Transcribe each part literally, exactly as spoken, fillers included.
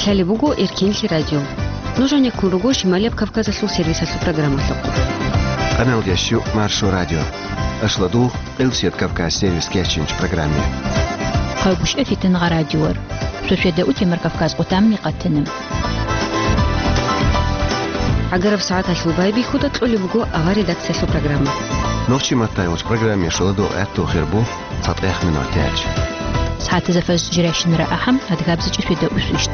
Лъалеб буго Эркенлъи радио. Нуж гьанеккун руго Шималияб Кавказалъул сервисалъул программалъухъ. Къаналда щу Маршо радио. Ашладу Къилсият Кавказ сервис кечинч программе. Хъагушев Фитнагъа радиор. Шошеда утемар Кавказ къутамни къатана. ГӀагараб сагӀаталъул байбихьуда кьолеб буго авар редакциялъул программа. Нохчи Маттаевич программе шоладу гӀатту хирбу. ЦатӀехъ минутаялъ. СагӀатазда фаз жиращинара ахӀам, адгабзичӀи шведа усвищ.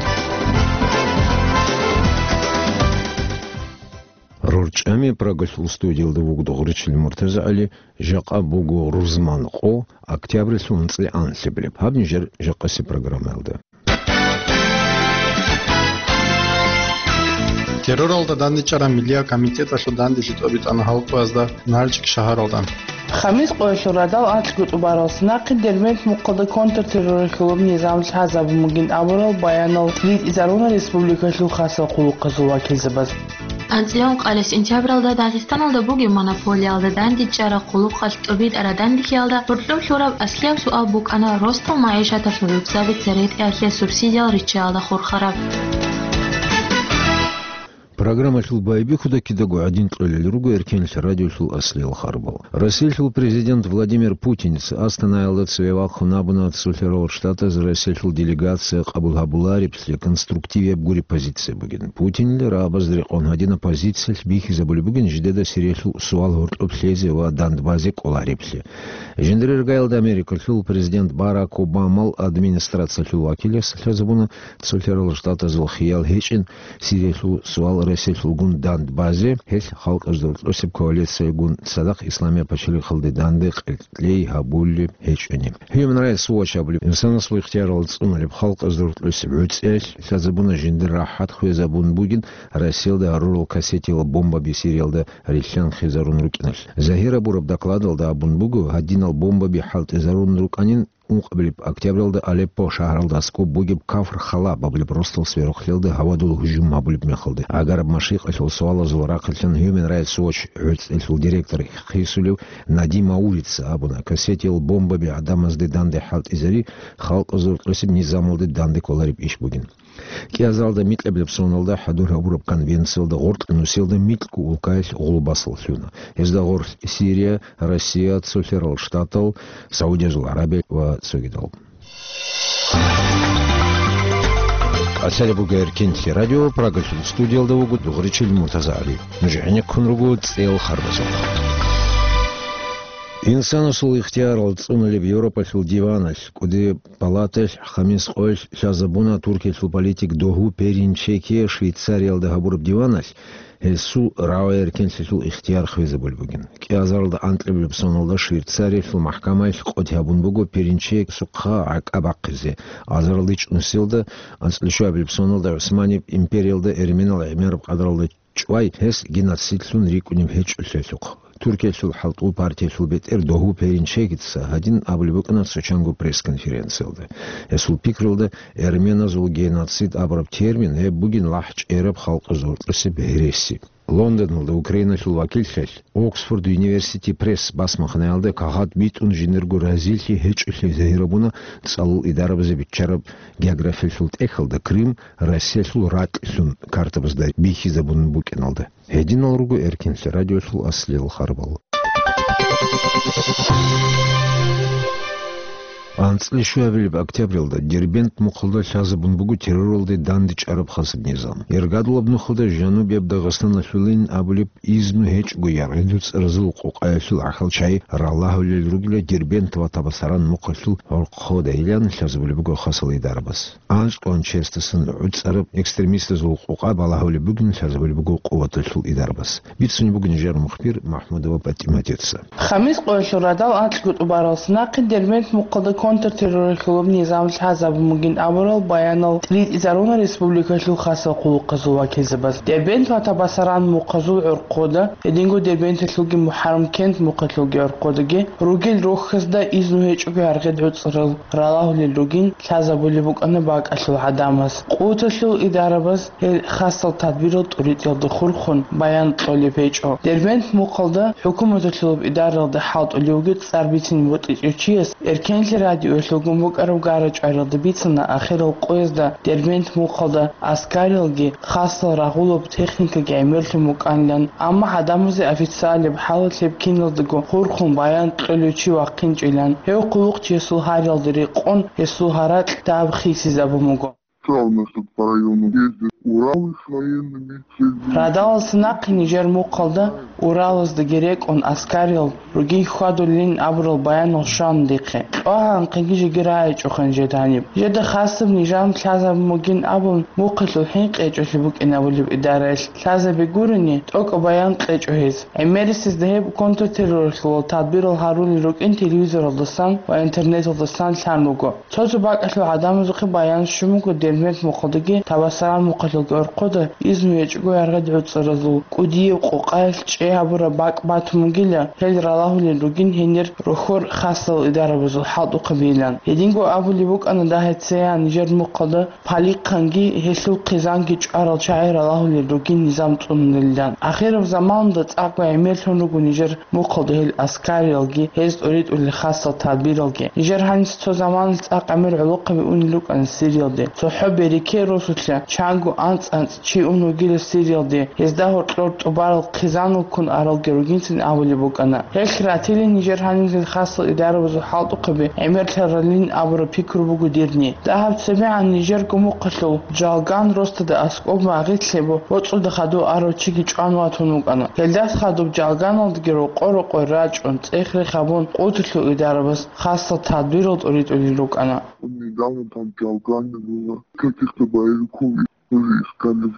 РорчӀами Прагалъул студиялда вугода Гъурчил МуртазагӀали, жакъа буго рузман къо, октябрьлъул анцӀила анлъабилеб. Гьаб нижер жакъаси программаялда. Терроралда дандечӀараб миллияб комитеталъул данделъи тӀобитӀана халкъазда НалчӀик шагьаралда. Хамис къоялъул радал анцӀго тӀубаралъ нахъе Дербент мухъалда контртерроралъулаб низам лъазабун бугин абурал баянал ритӀизаруна республикалъул хасал хъулухъазул вакилзабаз. АнцӀила ункъабилеб сентябралда Дагъистаналда бугеб монополиялда дандечӀараб хъулухъалъ тӀубитӀараб данделъиялда гьоркьоб лъураб аслияб суал букӀана ростал магӀишаталъул гӀурцаби церетӀиялъе субсидиял риччаялда хурхараб. Программалъул байбихьуда кидаго гӀадин кьолел руго Эркенлъи радиолъул аслиял харбал. Россиялъул президент Владимир Путинца Астанаялда цеве вахъун абуна Цолъарал Штатаз Россиялъул делегация къабул гьабулареблъи конструктивияб гури позиция бугин. Путинил рагӀабазда рекъон гьадинаб позициялъ бихьизабулеб бугин жидеда Сириялъул суал гьоркьоб лъезе ва Донбазде кӀолареблъи. Жиндир иргаялда Америкалъул президент Барак Обамал администрациялъул вакилас лъазабуна Цолъарал Штатазул хиял гьечӀин Сириялъул суал Россиялъулгун Донбазде, гьелъ халкъазда рокьосеб коалициягун цадахъ Исламияб пачалихъалде данде къеркьей гьабулеб гьечӀони. Human Rights Watch абулеб инсанасул ихтиярал цӀунулеб халкъазда рокьосеб гӀуцӀиялъ лъазабуна жиндир рахӀат хвезабун бугин Россиялда гьарурал кассетиял бомбаби Сириялда рилълъанхъизарун рукӀиналъ. Загьир абураб докладалда абун буго, гьадинал бомбаби хӀалтӀизарун рукӀанин, ункъабилеб октябралда Алеппо шагьаралда аскӀоб бугеб Кафр Халаб абулеб ростал сверухълъиялда гьавадул гьужум гьабулеб мехалда. ГӀагараб машикъалъул суалазул рахъалъан Human Rights Watch гӀуцӀиялъул директор хисулев Нади Маурица абуна, кассетиял бомбаби гӀадамазде данде хӀалтӀизари халкъазда рокьосеб низамалде данде кколареб иш бугин. КӀиазаралда микьабилеб соналда хӀадур гьабураб конвенциялда гъоркь нусиялда микьго улкаялъ гъулбасал лъуна. Гьезда гъорлъ Сирия, Россия, Цолъарал Штатал, Саудиязул ГӀарабия ва цогидал. Къасалеб буго Эркенлъи радио, Прагалъул студиялда вуго Дугъричил МуртазагӀали. Нуж гӀенеккун руго цӀел харбазухъ. Инсанасул ихтиярал цӀунулеб Европалъул диваналъ кӀудияб палаталъ хамис къоялъ лъазабуна Туркиялъул политик Догьу Перинчеки Швейцариялда гьабураб диваналъ гьесул рагӀи эркенлъиялъул ихтияр хвезабулеб бугин. КӀиазаралда анкьабилеб соналда Швейцариялъул махкамаялъ къотӀи гьабун буго Перинчекица гӀакӀа бахъизе. Азаралда ичӀнусиялда анцӀила щуабилеб соналда ГӀусманияб империялда эрменал гӀемераб къадралда чӀвай гьес геноцидлъун рикӀкӀунеб гьечӀолъиялъухъ. Туркиялъул хӀалтӀул партиялъул бетӀер Догьу Перинчекица гьадин абулеб букӀана цо чанго пресс-конференциялда. Гьесул пикруялда, эрменазул геноцид абураб термин гьеб бугин лахӀчӀераб халкъазда рокьосеб гьереси. Лондоналда Украиналъул вакиллъи Оксфорд Юниверсити Пресс басмахъинаялда кагъат битӀун жиндирго разилъи гьечӀолъи загьирабуна цӀалул идарабазе биччараб географиялъул тӀехьалда Крым Россиялъул ракьлъун картабазда бихьизабун букӀиналда. Гьединал руго Эркенлъи радиолъул аслиял харбал. АнцӀила щуабилеб октябралда Дербент мухъалда лъазабун буго терроралде дандечӀараб хасаб низам. Иргадулаб нухалда Жанубияб Дагъистаналъулин абулеб изну гьечӀого яргъи дуцӀаразул къокъаялъул гӀахьал чагӀи ралагьулел ругила Дербент ва Табасаран мухъалъул гӀурхъудайилан лъазабулеб буго хасал идарабаз. АнцӀкъоялда чиясдасан гӀуцӀараб экстремистазул къокъа балагьулеб бугин лъазабулеб буго къуваталъул идарабаз. Бицунеб буго нижер мухбир МахӀмудова ПатӀиматица. Хамис къоялъул радал анцӀго тӀубаралъ нахъе Дербент мухъалда контртерроралъулаб низам лъазабун бугин абурал баянал ритӀизаруна республикалъул хасал хъулухъазул вакилзабаз. Дербент ва Табасаран мухъазул гӀурхъуда, гьединго Дербенталъулги МухӀаррам-Кент мухъалъулги гӀурхъудаги, ругел рохьазда изну гьечӀого яргъи дуцӀарал ралагьулел ругин лъазабулеб букӀана бакӀалъул гӀадамаз. Къуваталъул идарабаз гьел хасал тадбирал тӀуритӀиялда хурхун баян кьолеб гьечӀо. Дербент мухъалда хӀукуматалъулаб идаралда хӀалтӀулев вугев цӀар бицине бутӀичӀев чияс Эркенлъи радио Гьелъулгун букӀараб гара-чӀваралда бицана ахирал къоязда Дербент мухъалда аскарилги хасал рагъулаб техникаги гӀемерлъун букӀанилан, амма гӀадамазе официалаб хӀалалъ гьеб киназдаго хурхун баян кьолев чи вахъинчӀилан, гьев хъулухъчиясул гьариялда рекъон гьесул гьаракь дагьаб хисизабун буго. Цалнасад по району ездят Уралы с военными целями. Радалалса нахъе нижер мухъалда Уралаздаги рекӀун аскарил ругин хьвадулин абурал баянал щвана дихъе. Кьвагьанхъеги жеги рагӀичӀохъин жед гьаниб. Жеда хасаб нижан лъазаб мугин абун, мухъалъул хӀинкъи гьечӀолъи букӀин абулеб идараялъ лъазаби гурони, тӀокӀаб баян кьечӀо гьез. ГӀемерисезда гьеб контртерроралъул тадбирал гьарулел рукӀин телевизоралдасан ва интернеталдасан лъан руго. Цо-цо бакӀалъул гӀадамазухъе баян щун буго Дербент мухъалдаги Табасаран мухъалъулги орхъода изну гьечӀого яргъад гӀуцӀаразул кӀудияб къокъаялъ чӀей гьабураб бакӀ батун бугила, гьел ралагьулел ругин гьенир рохьор хасал идарабазул хӀалтӀухъабийилан. Гьединго абулеб букӀана дагьецеян нижер мухъалда Палихъанги гьелъул хъизанги чӀварал чагӀи ралагьулел ругин низам цӀунулилан. Ахираб заманалда цӀакъго гӀемерлъун руго нижер мухъалда гьел аскариялги, гьез тӀоритӀулел хасал тадбиралги. Нижер гьаниса цо заманалъ цӀакъ гӀемер гӀолохъаби унел рукӀана Сириялде. ЦохӀо береке росулъа чанго анцӀ-анцӀ чи ун вугила Сириялде, гьезда гьоркьор тӀубарал хъизанал ккун аралги ругинцин абулеб букӀана. Гьелъ ратилин нижер гьаниб хасал идарабазул хӀалтӀухъаби гӀемерлъаралин абураб пикру буго дирни. Дагьаб цебегӀан нижерго мухъалъул Жалган росдада аскӀоб магъилъ гьеб боцӀуда хадув арав чиги чӀван ватун вукӀана. Гьелдас хадуб Жалганалдаги рокъо-рокъой рачӀун, цӀех-рех гьабун, къуталъул идарабаз хасал тадбирал тӀоритӀулел рукӀана. Недавно там в Жалгане было каких-то боевиков тоже искали.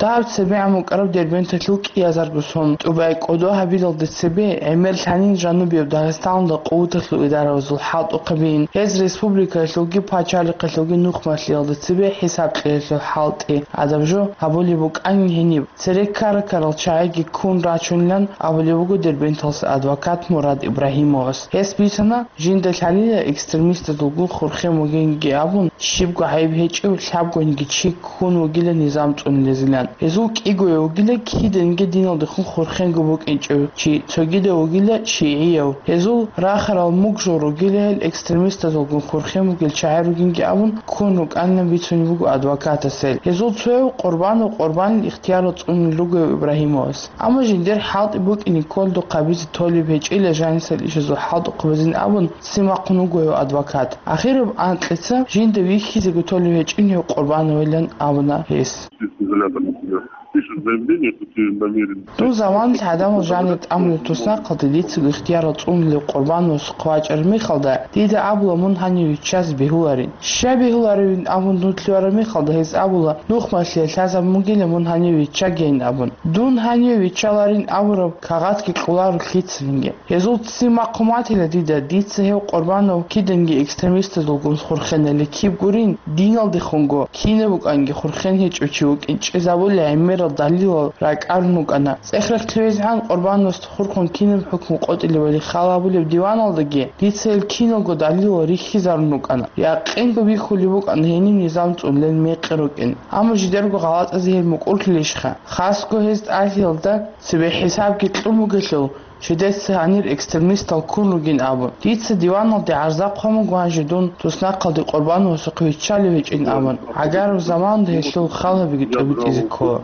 Дагьаб цебегӀан букӀараб Дербенталъул кӀиазарго сон тӀубай кӀодо гьабилалде цебе гӀемер лъанин жанубияб Дагъистаналда къуваталъул идарабазул хӀалтӀухъабийин, гьез республикаялъулги пачалихъалъулги нухмалъиялда цебе хӀисаб кьеялъул хӀалтӀи, гӀадаб жо гьабулеб букӀанин гьениб. Цере ккара-ккарал чагӀиги ккун рачунилан абулеб буго Дербенталъ адвокат Мурад Ибрагьимовас. Гьес бицана, жинда лъалила экстремистазулгун хурхен вугинги абун, щибго гӀайиб гьечӀев лъабгониги чи ккун вугила низам цӀунулезилан. Гьезул кӀигояв вугила киданги диналдехун хурхенго букӀинчӀев чи, цогидав вугила шигӀияв. Гьезул рахарал мугжал ругила гьел экстремистазулгун хурхен вугел чагӀи ругинги абун, ккун рукӀанилан бицунеб буго адвокатас гьел. Гьезул цояв Къурбанов Къурбанил ихтияр цӀунун ругояв Ибрагьимовас. Амма жиндир хӀалтӀи букӀине кколдухъ гьабизе толеб гьечӀила жанисел ишазул хӀалтӀухъ базин абун, ццин вахъун вугояв адвокат. Ахираб анкьица жинда вихьизего толеб гьечӀин гьев Къурбановилан абуна гьес. Изолятор, например, пишет заявление, что ты намерен... Дун заманалъ гӀадамал жанир тӀамулеб туснахъалде дицаго ихтияр цӀунулев Къурбановасухъ вачӀараб мехалда, дида абула мун гьанив виччазе бегьуларин. Щай бегьуларивин абун дун лъугьараб мехалда, гьез абула, нухмалъиялъ лъазаб мугила мун гьанив виччагейин абун. Дун гьанив виччаларин абураб кагъатги кьоларо лъицанинги. Гьезул ццин вахъун ватила дида, дица гьев Къурбанов киданги экстремистазулгун хурхенали киб гурин, диналдехунго кинаб букӀанги хурхен гьечӀев чи вукӀин чӀезабулеб гӀемерал далилал ракӀарун вукӀана. ЦӀех-рех лъугӀизегӀан Къурбановасда хурхун кинаб хӀукму къотӀилебали хал гьабулеб диваналдаги дица гьел киналго далилал рихьизарун рукӀана. Якъинго бихьулеб букӀана гьениб низам цӀунулел мекъи рукӀин. Амма жидерго гъалатӀазе гьел мукӀурлъулищха? Хасго гьез тӀалъиялда цебе хӀисабги кьун бугелъул, жидеца гьанир экстремистал ккун ругин абун. Дица диваналде гӀарза хъван буго гьанже дун туснахъалде Къурбановасухъе виччалев гьечӀин абун. ГӀагараб заманалда гьелъул хал гьабиги тӀобитӀизе ккола.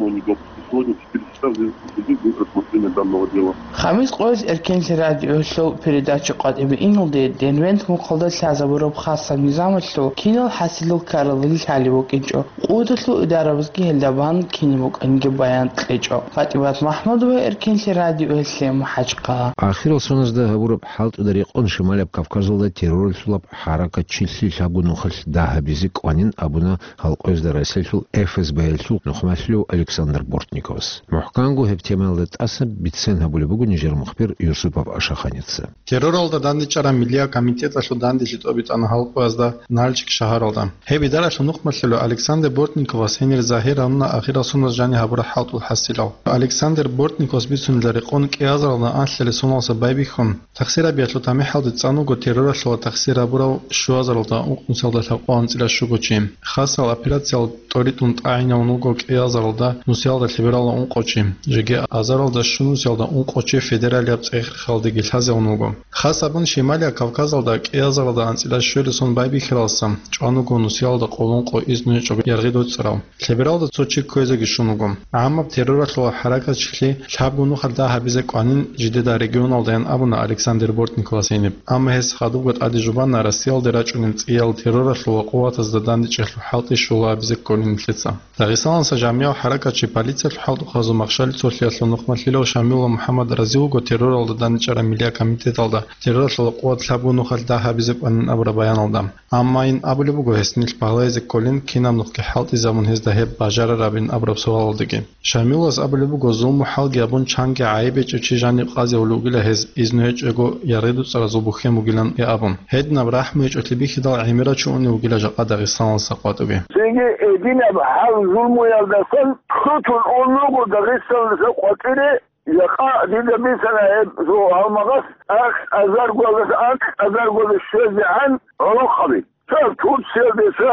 Сегодня в четыре часа в Дербенте будет рассмотрение данного дела. Хамис къоялъ Эркенлъи радиоялъул передача къватӀибе иналде Дербент мухъалда лъазабураб хасаб низамалъул кинал хӀасилал ккаралде лъалеб букӀинчӀо. Къуваталъул идарабазги гьелда бан кинаб букӀанги баян кьечӀо. ПатӀимат МахӀмудова, Эркенлъи радиоялъе, МахӀачхъала. Ахирал соназда гьабураб хӀалтӀуда рекъон Шималаб Кавказалда терроралъулаб хӀаракат чилъи лъабго нухалъ дагь гьабизе кӀванин абуна гьал къоязда Россиялъул ФСБ-ялъул нухмалъулев Александр Бортниковас. МухӀканго гьеб темаялда тӀаса бицен гьабулеб буго нижер мухбир Юсупов Ашаханица. Терроралда дандечӀараб миллияб комитеталъул данделъи тӀобитӀана гьал къоязда Нальчик шагьаралда. Гьеб идаралъул нухмалъулев Александр Бортниковас гьенир загьир гьавуна ахирал соназ жаниб гьабураб хӀалтӀул хӀасилал. Александр Бортниковас бицунила рекъон кӀиазаралда анлъалеб соналдаса байбихьун, тахсир гьабиялъул тамихӀалде цӀан вуго терроралъула тахсир гьабурав щуазаралда ункънусиялда лъабкъоялда анцӀила щуго чи. Хасал операциял тӀоритӀун тӀагӀинавун вуго кӀиазаралда нусиялда кверала ункъо чи. Жеги азаралда щунусиялда ункъо чи федералияб цӀех-рехалдеги лъазегӀун вуго. Хас абун Шималияб Кавказалда кӀиазаралда анцӀила щуялдасан байбихьаралдаса чӀван вуго нусиялда къоло ункъо изну гьечӀого яргъи дуцӀцӀарав. Лъебералда цо чи кквезеги щун вуго. ГӀаммаб терроралъула хӀаракатчилъи лъабго нухалъ дагь гьабизе кӀванин жидеда регионалдаян абуна Александр Бортниковас гьениб. Амма гьес хадубго тӀаде жубана Россиялде рачӀунел цӀиял терроралъула къуватазда дандечӀелъул хӀалтӀи щула абизе кколин нилъеца. Дагъистаналдаса жамигӀав хӀаракатчи полициялъул хӀалтӀухъазул махщел цолъиялъул нухмалъилав Шамилов МухӀаммад рази вуго терроралда дандчӀараб миллияб комитеталда терроралъула къуват лъабго нухалъ дагь гьабизе кӀванин абураб баяналда. Амма ин абулеб буго гьес нилъ багьлайзе кколин, кинаб нухги хӀалтӀизабун гьезда гьеб бажарарабин абураб суалалдаги. Шамиловас абулеб буго, зулму-хӀалги гьабун чанги гӀайиб гьечӀев чи жаниб къазеулев вугила гьез, изну гьечӀого яргъи дуцӀцӀаразул бухьен бугилан абун. Гьединаб рахӀму гьечӀолъи бихьидал гӀемерав чи унев вугила жакъа Дагъистаналдаса къватӀуги. Цинги гьединаб гьал-зулмуялдасан лъутун ун вуго Дагъистаналдаса къватӀире, жакъа дида бицана гьеб гьалмагъас анкь азаргоялдаса анкь азаргоялде щвезегӀан гӀолохъаби. Цо Турциялде, цо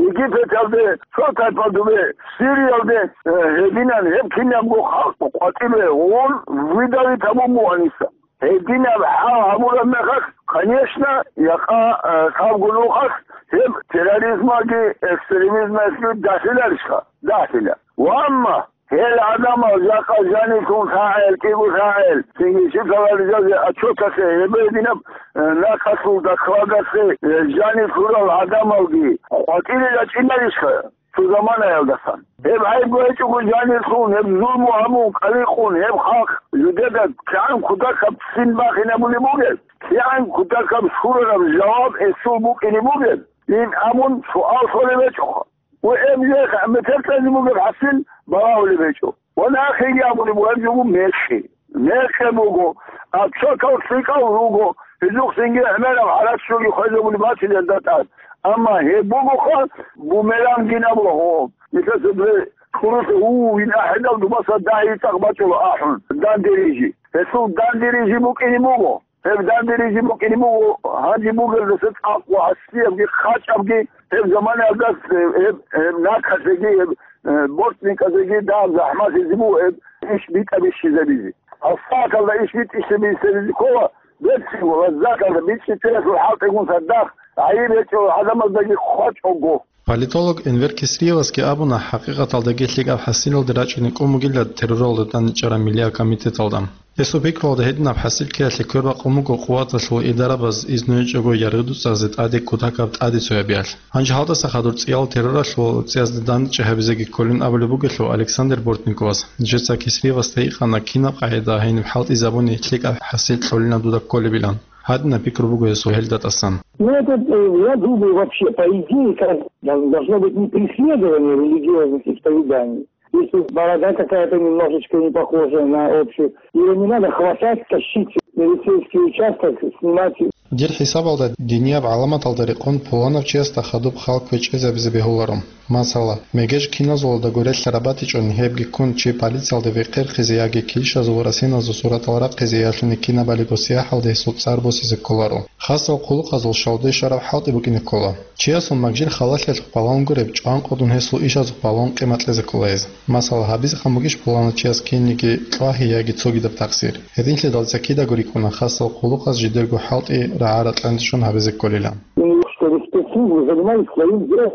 Египеталде, цо тайпа дубе Сириялде, э, гьединан гьеб кинабго халкъ къватӀибе гъун выдавить гьабун буго гьаниса. Гьединаб хӀал гьабураб мехалъ, конечно, якъа, э, лъабго нухалъ гьеб терроризмалги экстремизмалги дагьлъиларищха? Дагьлъила. Ва амма гьел гӀадамал жакъа жаниб лъун лъагӀел, кӀиго лъагӀел, цинги щиб лъаларизазе отчеталъе, гьеб гьединаб, э, нахъалъул докладалъе, э, жаниб лъурал гӀадамалги къватӀире рачӀинарищха цо заманаялдасан? Гьеб гӀайибго гьечӀого жанир лъун, гьеб зулму гьабун, кӀаликъун, гьеб халкъ жидеда кигӀан кутакаб ццин бахинабулеб бугеб, кигӀан кутакаб щурараб жаваб гьесул букӀине бугеб, ин абун суал лъолеб гьечӀоха. Ва гьеб жех метер кьезе бугеб хӀасил балагьулеб гьечӀо. Ва нахъеги абулеб буго, гьеб жо буго мекъи. Мекъи буго, отчетал лъикӀал руго, гьезухъ цинги гӀемераб гьаракь щуги хвезабулеб батилел датӀад. Амма гьеб бугоха бумерангин абула гьо. Мисаллъун, кьурулъе, у, ин ахӀидал дубаса дагьи цӀакъ бачӀула ахӀун, дандерижи. Гьесул дандерижи букӀине буго. Гьеб дандерижи букӀине буго, гьанже бугелдаса цӀакъ ва гьасиябги хъачӀабги, гьеб заманаялдас, э, гьеб, гьеб нахъалъеги, гьеб, э, бортникӀазеги дагьаб захӀмалъизе буго гьеб иш битӀа-бищизабизе. Гьаб сагӀаталда иш битӀа-бищизабизе ккола, берцинго лаззаталда бичӀчӀичӀелъул хӀалтӀигун цадахъ гӀайиб гьечӀо гӀадамаздаги хъвачӀого. Политолог Энвер Кесриевасги абуна, хӀакъикъаталдаги лъикӀаб хӀасилалде рачӀине кӀун бугила терроралда дандчӀараб миллияб комитеталда. Гьесул пикруялда гьединаб хӀасил ккеялъе квербакъун буго къуваталъул идарабаз изну гьечӀого яргъи дуцӀаразе тӀаде кутакаб тӀаде цоябиялъ. Гьанже гьалдаса хадур цӀиял терроралъул цӀиязда дандчӀи гьабизеги кколин абулеб бугелъул, Александр Бортниковас, нижеца Кесриевасда гьикъана, кинаб къагӀида гьениб хӀалтӀизабуни лъикӀаб хӀасил кьолина дуда кколебилан. Гьадинаб пикру буго гьесул гьел датӀасан. Ну, это, э, я думаю, вообще, по идее, как дол-, должно быть не преследование религиозных исповеданий. Если борода какая-то немножечко не похожая на общую, её не надо хватать, тащить в милицейский участок, снимать. Дир хӀисабалда динияб гӀаламаталда рекъон пуланав чиясда хадуб хал квечӀезабизе бегьуларо. Масала, мегеж киназулалдаго релълъараб батичӀони гьебги ккун чи полициялде векъерхъизе яги килщазул ва расеназул суратал рахъизе ялъуни кинабалиго сияхӀалде гьесул цӀар босизе кколаро. Хасал хъулухъазул шалде щвараб хӀалтӀи букӀине ккола. Чиясул магжир халалъиялъухъ балагьун гуреб, чӀванкъудун гьесул ишазухъ балагьун къимат кьезе ккола гьез. Масала, гьабизе хъан бугищ пуланав чияс кинниги кьвагьи яги цогидаб тахсир? Гьединлъидал цакидаго рикӀкӀуна хасал хъулухъаз жидерго хӀалтӀи рагӀа-ракьанде щун гьабизе кколилан. Чтобы спецслужбы занимались своим делом,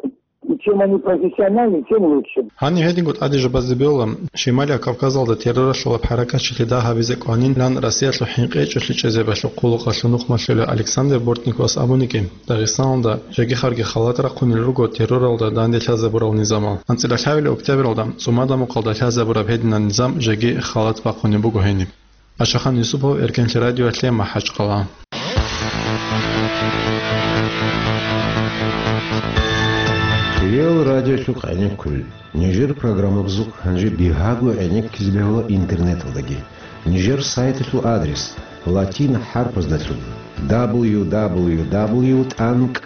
и чем они профессиональнее, тем лучше. Гьаниб гьединго тӀаде жубазе бегьула, Шималияб Кавказалда терроралъулаб хӀаракатчилъи дагь гьабизе кӀванилан Россиялъул хӀинкъи гьечӀолъи чӀезабиялъул хъулухъалъул нухмалъулев Александр Бортниковас абунигин, Дагъистаналда жеги-харги халат рахъунел руго терроралда данде лъазабурал низамал. АнцӀила лъабилеб октябралда ЦӀумада мухъалда лъазабураб гьединаб низам жеги халат бахъунеб буго гьениб. Ашахан Юсупов, Эркенлъи радиоялъе, МахӀачхъала. Реал радиолъухъ гӀенеккулел. Нижер программабазухъ гьанже бигьаго гӀенеккизе бегьула интернеталдаги. Нижер сайталъул адрес латин хӀарпаздалъун: дабл ю дабл ю дабл ю тӀанкӀ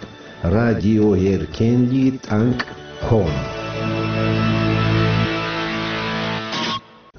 радиоэркенлъи тӀанкӀ ком.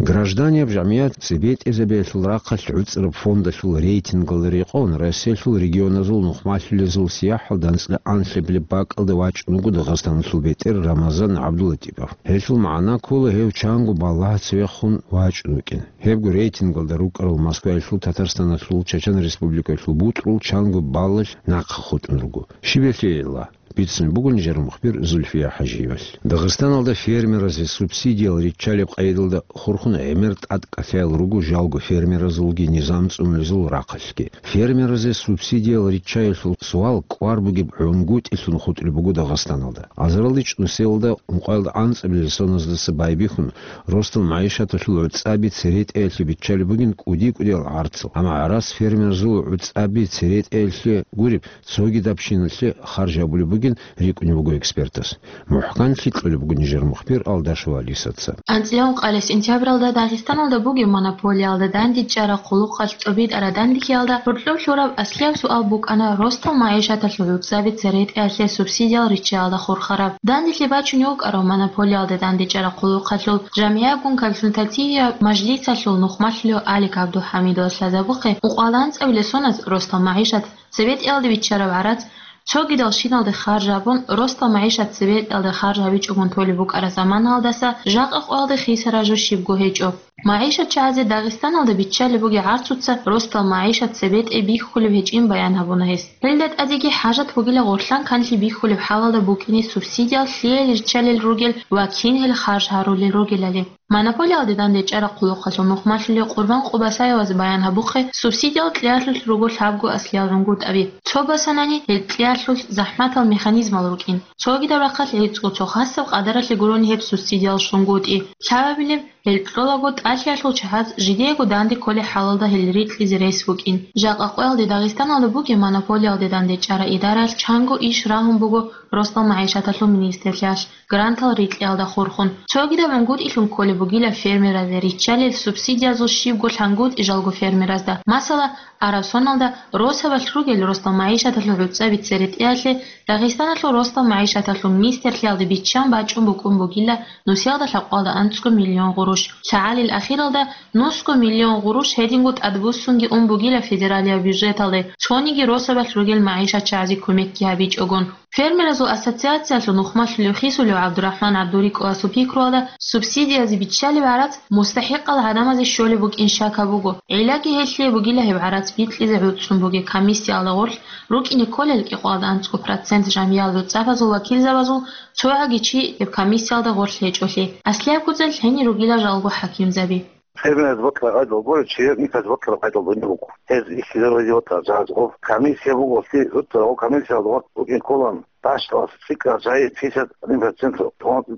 Гражданияб жамият цебетӀезабиялъул рахъалъ гӀуцӀраб фондалъул рейтингалда рекъон Россиялъул регионазул нухмалъулезул сияхӀалда анцӀила анлъабилеб бакӀалда вачӀун вуго Дагъистаналъул бетӀер Рамазан ГӀабдуллатипов. Гьелъул магӀна ккола гьев чанго балагьаца вехун вачӀун вукӀин. Гьебго рейтингалда рукӀарал Москваялъул, Татарстаналъул, Чачан Республикаялъул бутӀрул чанго баллалъ нахъа хутӀун руго. Щиб гьелъийила? Бицун буго нижер мухбир Зульфия ХӀажиевалъ. Дагъистаналда фермеразе субсидиял риччалеб къайдалда хурхун гӀемер тӀад кӀалъаял руго жалго фермеразулги низам цӀунулезул рахъалъги. Фермеразе субсидиял риччаялъул суал кӀвар бугеб гӀунгутӀилъун хутӀулеб буго Дагъистаналда. Азаралде чӀунусиялда ункъоялда анцӀабилеб соназдаса байбихьун, росдал магӀишаталъул гӀуцӀаби церетӀеялъе биччалеб бугин кӀуди-кӀудиял гӀарцал. Амма гӀарац фермерзул гӀуцӀаби церетӀеялъе гуреб, цогидабщиналъе харж гьабулеб бугин рикӀкӀунеб буго экспертас. МухӀканлъи кьолеб буго нижер мухбир Алдашева Алисаца. АнцӀила ункъабилеб сентябралда Дагъистаналда бугеб монополиялда дандечӀараб хъулухъалъ цӀобитӀараб данделъиялда гьоркьоб лъураб аслияб суал букӀана росдал магӀишаталъул гӀуцӀаби церетӀеялъе субсидиял риччаялда хурхараб. Данделъи бачунев вукӀарав монополиялда дандечӀараб хъулухъалъул жамгӀиябгун консультативияб мажлисалъул нухмалъулев Алик ГӀабдулхӀамидовас лъазабухъе, ункъоялда анцӀабилеб соналъ росдал магӀишат цебетӀеялде биччараб гӀарац, цогидал щиналде харж гьабун, росдал магӀишат цебетӀеялде харж гьабичӀогун толеб букӀараб заманаялдаса жакъа къоялде хисараб жо щибго гьечӀо. МагӀишатчагӀазе Дагъистаналда биччалеб бугеб гӀарцуца росдал магӀишат цебетӀе бихьулеб гьечӀин баян гьабуна гьес. Гьелда тӀадеги хӀажат бугила гъорлъан канлъи бихьулеб хӀалалда букӀине субсидиял лъиялил риччалел ругел ва кин гьел харж гьарулел ругелали. Монополиялде дандечӀараб хъулухъалъул нухмалъулев Къурбан Къубасаевас баян гьабухъе, субсидиял кьеялъулъ руго лъабго аслиял гӀунгутӀаби. Цо босанани, гьел кьеялъулъ захӀматал механизмал рукӀин. Цогидаб рахъалъ гӀицӀго цо хасаб къадаралъе гурони гьеб субсидиял щунгутӀи. Лъабабилеб, гьел кьолаго тӀалъиялъул чагӀаз жидеего данде кколеб хӀалалда гьел рикьизе рес букӀин. Жакъа къоялде Дагъистаналда бугеб монополиялде дандечӀараб идараялъ чанго иш рагьун буго росдал магӀишаталъул министрлъиялъ грантал рикьиялда хурхун. Цогидаб гӀунгутӀилъун кколеб бугила фермеразда риччалел субсидиязул щибго лъангутӀи жалго фермеразда. Масала, араб соналда росабалъ ругел росдал магӀишаталъул гӀуцӀаби церетӀеялъе Дагъистаналъул росдал магӀишаталъул министрлъиялда биччан бачӀун букӀун бугила нусиялда лъабкъоялда анцӀго миллион гъурущ. ЛъагӀалил ахиралда нусго миллион гъурущ гьединго тӀадбуссунги ун бугила федералияб бюджеталде, цониги росабалъ ругел магӀишатчагӀазе кумекги гьабичӀогун. Фермеразул ассоциациялъул нухмалъулев Хисулев ГӀабдурахӀман ГӀабдурикӀовасул пикруялда, субсидиязе биччалеб гӀарац мустахӀикъал гӀадамазе щолеб букӀин шак гьабуго. Гьелъ-, гьелъие бугила гьеб гӀарац бикьизе гӀуцӀцӀун бугеб комиссиялда гъорлъ рукӀине кколел кӀикъоялда анцӀго процент жамгӀияталъул цӀапазул вакилзабазул цогӀаги чи гьеб комиссиялда гъорлъ гьечӀолъи. Аслияб гуцӀел гьенир ругила жалго хӀакимзаби. Фермераз бокьараб къайдал гуро, чияр инкас бокьараб къайдал гуро буго. Гьез ихьизабизе ватарал жагьаз гъоб комиссия буго, лъи-, гьутӀарав комиссиялда гъоб букӀин кколан, дашдалас цӀикӀкӀараб жагьи пятьдесят один процент,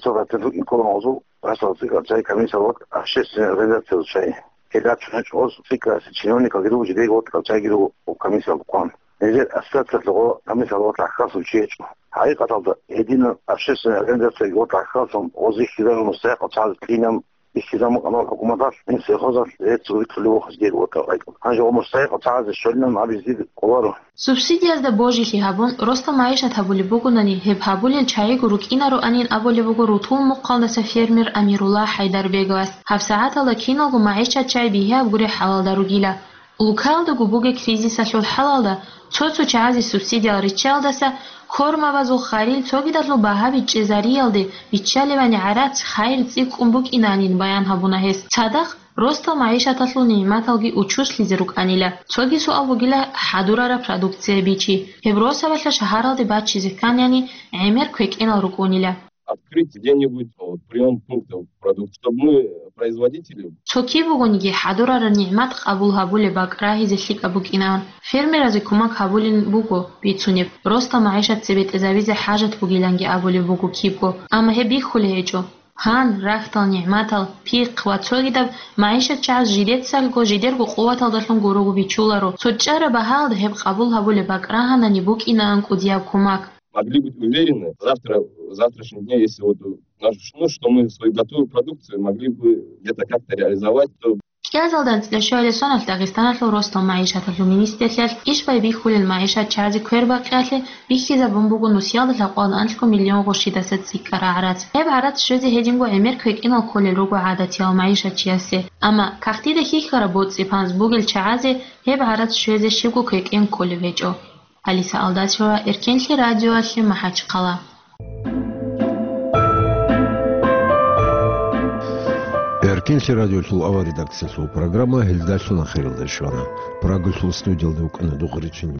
цо процент букӀин кколан гъозул, дашдалас цӀикӀкӀараб жагьи комиссиялда ватӀа общественный организациялда чагӀи. Гьелда чӀун гьечӀо гъоз цӀикӀкӀараб чиновникалги руго, жидеего ватӀарал жагьги руго гъоб комиссиялда хъван. Нижер ассоциациялъ гъо комиссиялда ватӀа хасун чи гьечӀо. ХӀакъикъаталда, гьединал общественный организациялги ватӀа хасун гъоз ихьизабун мустахӀикъал чагӀаз кьинан, Ихьизабун букӀана хӀукуматалъ, гьеб сельхозалъ рецц витӀулев вохизе гьечӀо ватӀа къайкъун. Гьанже гъо мустахӀикъал чагӀазе щолилан абизе кӀоларо. Субсидиязда божизе гьабун, росдал магӀишат гьабулеб бугонани, гьеб гьабулел чагӀиго рукӀинароанин абулеб буго рутул мухъалдаса фермер Амирулла ХӀайдарбеговас. ГьабсагӀаталда киналго магӀишатчагӀи бигьаяб гуреб хӀалалда ругила. Улкаялдаго бугеб кризисалъул хӀалалда цо-цо чагӀазе субсидиял риччаялдаса кормабазул харил цогидалъул багьаби чӀезариялде биччалебани гӀарац, хайир цӀикӀкӀун букӀинанин баян гьабуна гьес. Цадахъ росдал магӀишаталъул нигӀматалги учуслъизе рукӀанила. Цоги суал бугила хӀадурараб продукция бичи. Гьеб росабалъа шагьаралде бачизе кканани гӀемер квекӀенал рукӀунила. Открыть где-нибудь, вот, приём пунктов продукт, чтобы мы, производители. Цо киб бугониги хӀадурараб нигӀмат къабул гьабулеб бакӀ рагьизе лъикӀаб букӀинан. Фермеразе кумек гьабулеб буго бицунеб, росдал магӀишат цебетӀезабизе хӀажат бугиланги абулеб буго кибго, амма гьеб бихьулеб гьечӀо. Гьан, рахьдал нигӀматал, пихъ ва цогидаб магӀишатчагӀаз жидецаго, жидерго къуваталдалъун гурого бичуларо. Цо чӀараб багьаялда гьеб къабул гьабулеб бакӀ рагьанани букӀинаан кӀудияб кумек. Могли быть уверены, завтра, в завтрашнем дне, если вот, э, наш, ну, что мы свою готовую продукцию могли бы где-то как-то реализовать, то КӀиазалда анцӀила щуалесоналъ Дагъистаналъул росдал магӀишаталъул министрлъиялъ иш байбихьулел магӀишат чагӀазе квербакъиялъе бихьизабун буго нусиялда лъабкъоялда анлъго миллион гъурщидаса цӀикӀкӀараб гӀарац. Гьеб гӀарац щвезе гьединго гӀемер кквекӀинал кколел руго гӀадатияв магӀишатчиясе, амма кагътида хьихьараб боцӀи-панз бугел чагӀазе гьеб гӀарац щвезе щибго квекӀен кколеб гьечӀо. Алиса Алдачева, Эркенлъи радиоялъе, МахӀачхъала. Эркенлъи радиолъул авар редакциялъул программа гьелдалъун ахиралде щвана. Прагалъул студиялда вукӀана Дугъричин